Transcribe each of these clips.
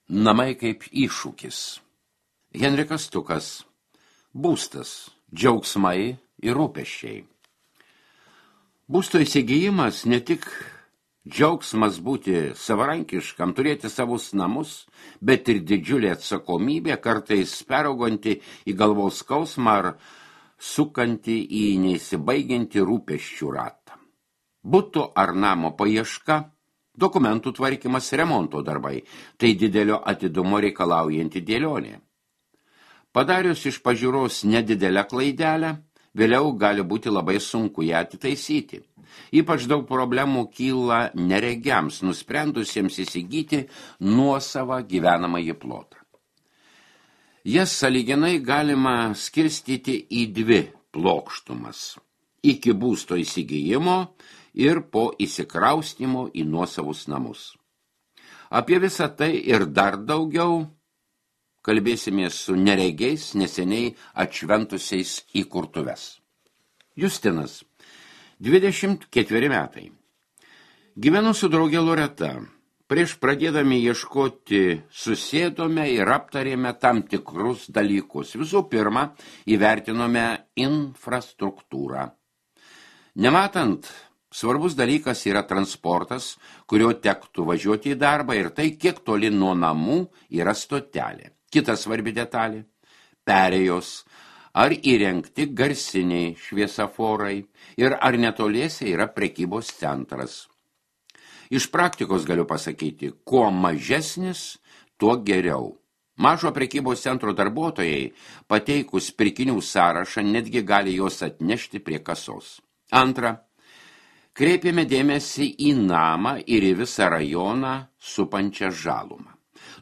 Namai kaip iššūkis. Henrikas Stukas. Būstas, džiaugsmai ir rūpesčiai. Būsto įsigijimas ne tik džiaugsmas būti savarankiškam, turėti savus namus, bet ir didžiulė atsakomybė, kartais perauganti į galvos skausmą ar sukanti į neįsibaigiantį rūpesčių ratą. Būto ar namo paieška, dokumentų tvarkymas, remonto darbai – tai didelio atidumo reikalaujanti dėlionė. Padarius iš pažiūros nedidelę klaidelę, vėliau gali būti labai sunku ją atitaisyti. Ypač daug problemų kyla neregiams, nusprendusiems įsigyti nuosavą gyvenamąjį plotą. Jas sąlyginai galima skirstyti į dvi plokštumas – iki būsto įsigijimo ir po įsikraustymo į nuosavus namus. Apie visą tai ir dar daugiau kalbėsimės su neregiais neseniai atšventusiais į kurtuves. Justinas, 24 metai. Gyvenu su draugė Loreta. Prieš pradėdami ieškoti susėdome ir aptarėme tam tikrus dalykus. Visų pirma, įvertinome infrastruktūrą. Nematant, svarbus dalykas yra transportas, kurio tektų važiuoti į darbą ir tai, kiek toli nuo namų yra stotelė. Kita svarbi detalė – perėjos, ar įrengti garsiniai šviesaforai ir ar netoliese yra prekybos centras. Iš praktikos galiu pasakyti, kuo mažesnis, tuo geriau. Mažo prekybos centro darbuotojai, pateikus pirkinių sąrašą, netgi gali juos atnešti prie kasos. Antra, kreipėme dėmesį į namą ir į visą rajoną supančią žalumą.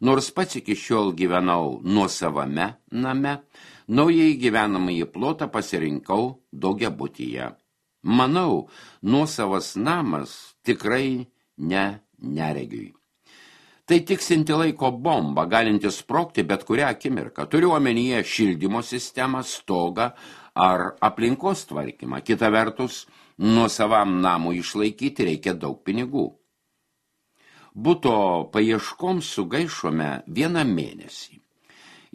Nors pats iki šiol gyvenau nuosavame name, naujai gyvenamąjį plotą pasirinkau daugiabutyje. Manau, nuosavas namas tikrai neregiui. Tai tiksinti laiko bomba, galinti sprogti bet kurią akimirką. Turiu omenyje šildymo sistemą, stogą ar aplinkos tvarkymą. Kita vertus, nuosavam namui išlaikyti reikia daug pinigų. Buto paieškoms sugaišome 1 mėnesį.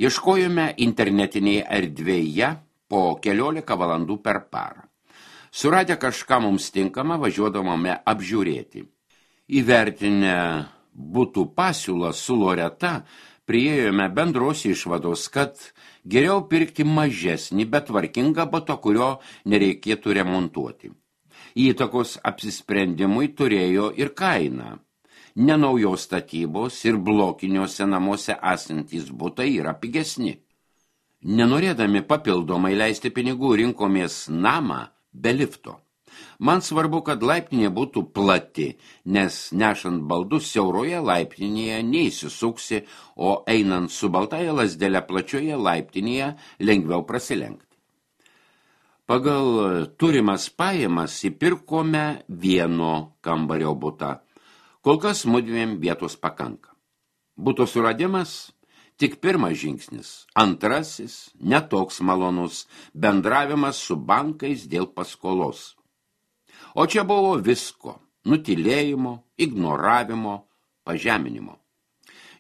Ieškojome internetinėje erdvėje po 14 valandų per parą. Suradę kažką mums tinkamą, važiuodavome apžiūrėti. Įvertinę butų pasiūlą su Loreta, priėjome bendros išvados, kad geriau pirkti mažesnį, bet tvarkingą butą, kurio nereikėtų remontuoti. Įtakos apsisprendimui turėjo ir kaina. Nenaujos statybos ir blokiniuose namuose esantys butai yra pigesni. Nenorėdami papildomai leisti pinigų, rinkomės namą be lifto. Man svarbu, kad laiptinė būtų plati, nes nešant baldus siauroje laiptinėje neįsisuksi, o einant su baltaja lazdele plačioje laiptinėje lengviau prasilenkti. Pagal turimas pajamas įpirkome 1 kambario butą. Kol kas mudviem vietos pakanka. Buto suradimas tik pirmas žingsnis. Antrasis, netoks malonus, bendravimas su bankais dėl paskolos. O čia buvo visko – nutylėjimo, ignoravimo, pažeminimo.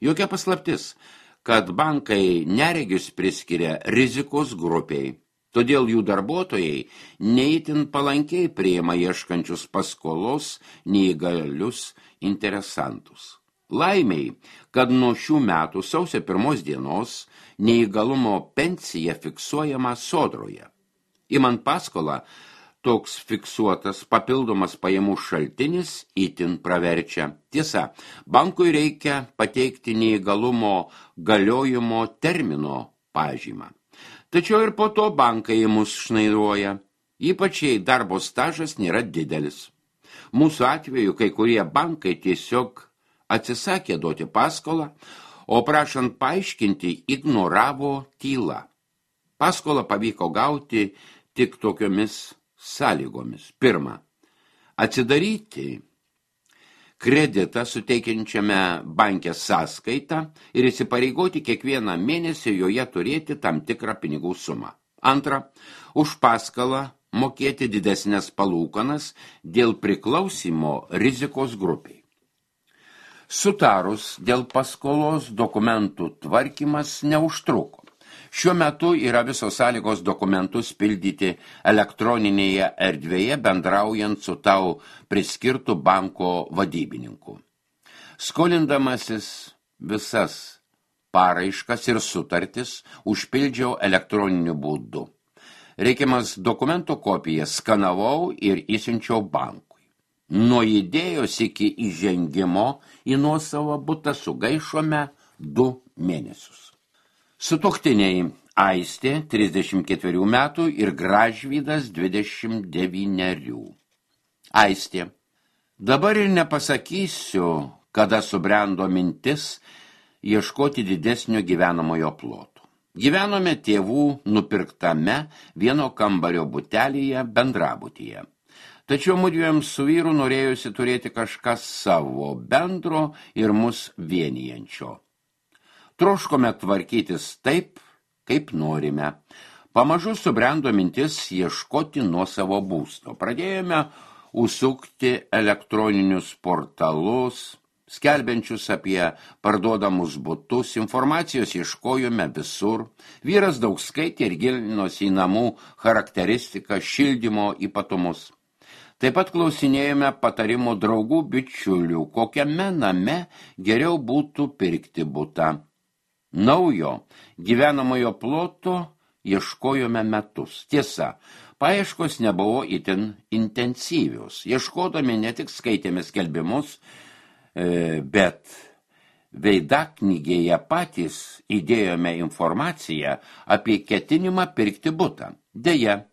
Jokia paslaptis, kad bankai neregius priskiria rizikos grupiai. Todėl jų darbuotojai neįtin palankiai priima ieškančius paskolos neįgalius interesantus. Laimiai, kad nuo šių metų sausio 1 dienos neįgalumo pensija fiksuojama Sodroje. Imant paskolą, toks fiksuotas papildomas pajamų šaltinis itin praverčia. Tiesa, bankui reikia pateikti neįgalumo galiojimo termino pažymą. Tačiau ir po to bankai mus šnairuoja, ypač jei darbo stažas nėra didelis. Mūsų atveju kai kurie bankai tiesiog atsisakė duoti paskolą, o prašant paaiškinti ignoravo tylą. Paskolą pavyko gauti tik tokiomis sąlygomis. Pirma, atsidaryti kreditą suteikiančiame banke sąskaitą ir įsipareigoti kiekvieną mėnesį joje turėti tam tikrą pinigų sumą. Antra, už paskolą mokėti didesnės palūkanas dėl priklausimo rizikos grupiai. Sutarus dėl paskolos dokumentų tvarkymas neužtruko. Šiuo metu yra visos sąlygos dokumentus pildyti elektroninėje erdvėje, bendraujant su tau priskirtu banko vadybininku. Skolindamasis visas paraiškas ir sutartis užpildžiau elektroniniu būdu. Reikiamas dokumento kopiją skanavau ir įsiunčiau bankui. Nuo idėjos iki įžengimo į nuosavą butą sugaišome 2 mėnesius. Sutuoktiniai Aistė 34 metų ir Gražvydas 29. Aistė. Dabar ir nepasakysiu, kada subrendo mintis ieškoti didesnio gyvenamojo ploto. Gyvenome tėvų nupirktame vieno kambario butelyje bendrabutyje. Tačiau mudviem su vyru norėjusi turėti kažką savo bendro ir mus vienijančio. Troškome tvarkytis taip, kaip norime. Pamažu subrendo mintis ieškoti nuosavo būsto. Pradėjome užsukti elektroninius portalus, skelbiančius apie parduodamus butus, informacijos ieškojome visur. Vyras daug skaitė ir gilinosi į namų charakteristiką, šildymo ypatumus. Taip pat klausinėjome patarimų draugų bičiulių, kokiame name geriau būtų pirkti butą. Naujo gyvenamojo ploto ieškojome metus. Tiesa, paieškos nebuvo itin intensyvios. Ieškodami ne tik skaitėme skelbimus, bet veidaknygėje patys įdėjome informaciją apie ketinimą pirkti butą. Deja,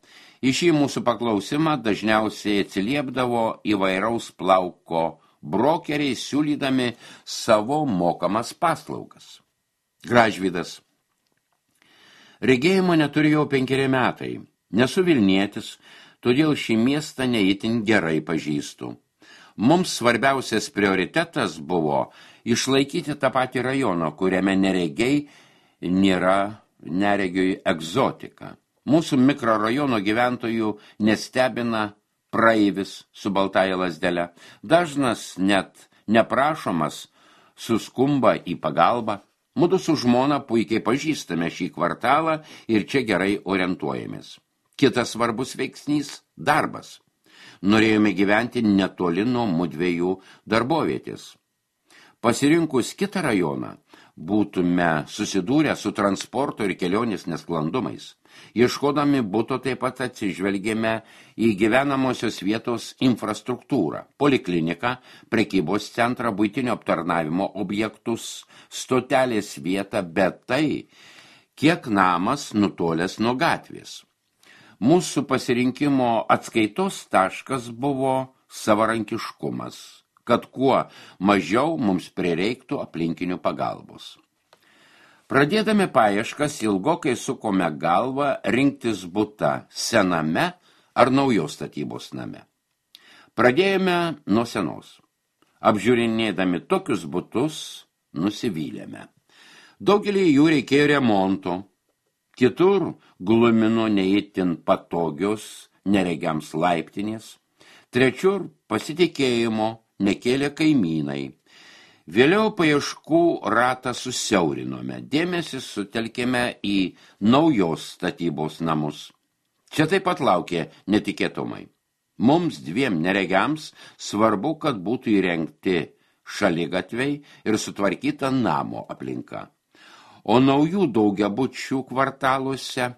į šį mūsų paklausimą dažniausiai atsiliepdavo įvairaus plauko brokeriai, siūlydami savo mokamas paslaugas. Gražvydas. Regėjimo neturėjau 5 metai. Nesu Vilnietis, todėl šį miestą neįtin gerai pažįstu. Mums svarbiausias prioritetas buvo išlaikyti tą patį rajoną, kuriame neregiai nėra neregiui egzotika. Mūsų mikrorajono gyventojų nestebina praeivis su baltąja lazdele. Dažnas net neprašomas suskumba į pagalbą. Mudu su žmona puikiai pažįstame šį kvartalą ir čia gerai orientuojamės. Kitas svarbus veiksnys – darbas. Norėjome gyventi netoli nuo mudviejų darbovietės. Pasirinkus kitą rajoną, būtume susidūrę su transporto ir kelionės nesklandumais. Ieškodami buto taip pat atsižvelgėme į gyvenamosios vietos infrastruktūrą, polikliniką, prekybos centrą, buitinio aptarnavimo objektus, stotelės vietą, bet tai, kiek namas nutolęs nuo gatvės. Mūsų pasirinkimo atskaitos taškas buvo savarankiškumas, kad kuo mažiau mums prireiktų aplinkinių pagalbos. Pradėdami paieškas ilgokai sukome galvą rinktis butą sename ar naujos statybos name. Pradėjome nuo senos. Apžiūrinėdami tokius butus nusivylėme. Daugelį jų reikėjo remonto, kitur glumino neįtin patogios neregiams laiptinės, trečiur pasitikėjimo nekėlė kaimynai. Vėliau paieškų ratą susiaurinome, dėmesį sutelkėme į naujos statybos namus. Čia taip pat laukė netikėtumai. Mums 2 neregiams svarbu, kad būtų įrengti šaligatviai ir sutvarkyta namo aplinka. O naujų daugiabučių kvartaluose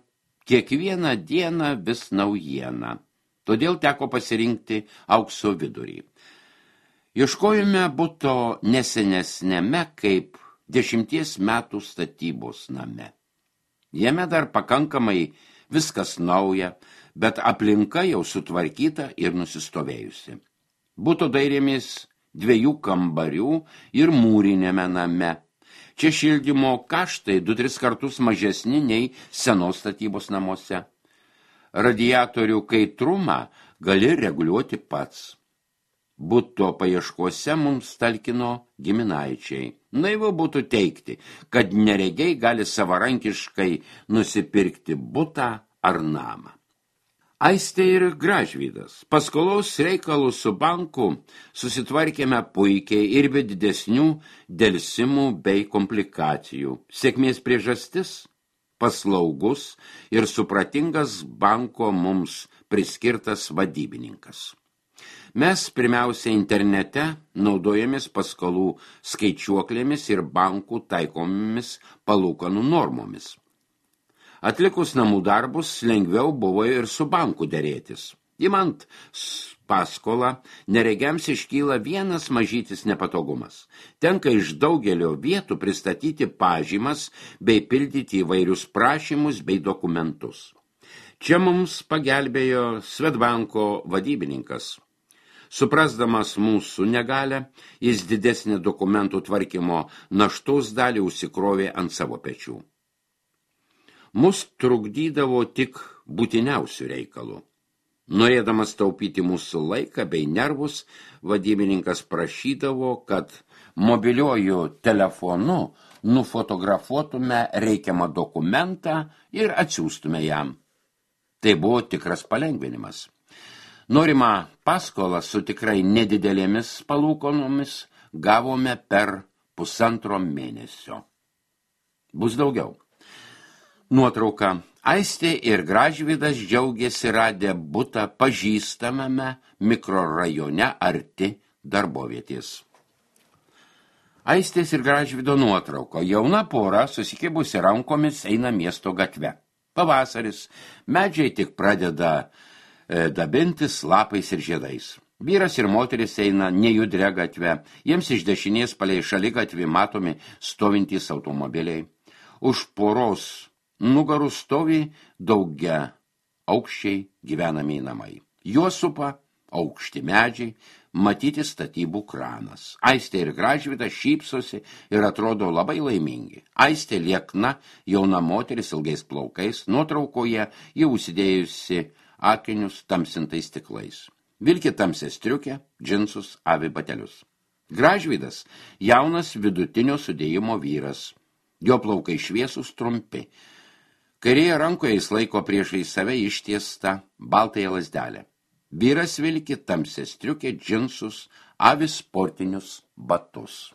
kiekvieną dieną vis naujiena. Todėl teko pasirinkti aukso vidurį. Ieškojome buto nesenesnėme kaip 10 metų statybos name. Jame dar pakankamai viskas nauja, bet aplinka jau sutvarkyta ir nusistovėjusi. Buto dairėmės 2 kambarių ir mūrinėme name. Čia šildymo kaštai 2-3 kartus mažesni nei senos statybos namuose. Radiatorių kaitrumą gali reguliuoti pats. Buto paieškose mums talkino giminaičiai. Naivu būtų teigti, kad neregiai gali savarankiškai nusipirkti butą ar namą. Aistė ir Gražvydas. Paskolos reikalų su banku susitvarkėme puikiai ir be didesnių delsimų bei komplikacijų. Sėkmės priežastis – paslaugus ir supratingas banko mums priskirtas vadybininkas. Mes pirmiausia internete naudojamės paskolų skaičiuoklėmis ir bankų taikomomis palūkanų normomis. Atlikus namų darbus lengviau buvo ir su banku derėtis. Imant paskolą, neregiams iškyla vienas mažytis nepatogumas. Tenka iš daugelio vietų pristatyti pažymas bei pildyti įvairius prašymus bei dokumentus. Čia mums pagelbėjo Swedbanko vadybininkas. Suprasdamas mūsų negalę, jis didesnį dokumentų tvarkymo naštos dalį užsikrovė ant savo pečių. Mus trukdydavo tik būtiniausių reikalų. Norėdamas taupyti mūsų laiką bei nervus, vadybininkas prašydavo, kad mobiliuoju telefonu nufotografuotume reikiamą dokumentą ir atsiųstume jam. Tai buvo tikras palengvinimas. Norimą paskolą su tikrai nedidelėmis palūkanomis gavome per 1,5 mėnesio. Bus daugiau. Nuotrauka. Aistė ir Gražvydas džiaugėsi radę butą pažįstamame mikrorajone arti darbovietės. Aistės ir Gražvydo nuotrauko. Jauna pora susikibusi rankomis eina miesto gatve. Pavasaris, medžiai tik pradeda dabintis lapais ir žiedais. Vyras ir moteris eina nejudria gatve, jiems iš dešinės palei šaligatvį matomi stovintys automobiliai. Už poros nugarų stovi daugia aukščiai gyvenamiai namai. Juos supa aukšti medžiai, matyti statybų kranas. Aistė ir Gražvydas šypsosi ir atrodo labai laimingi. Aistė liekna, jauna moteris ilgais plaukais, nuotraukoje ji užsidėjusi akinius tamsintais stiklais. Vilki tamsią striukę, džinsus, avi batelius. Gražvydas jaunas vidutinio sudėjimo vyras. Jo plaukai šviesūs trumpi. Kairėje rankoje jis laiko priešais save ištiestą baltąją lazdelę. Vyras vilki tamsią striukę, džinsus, avi sportinius batus.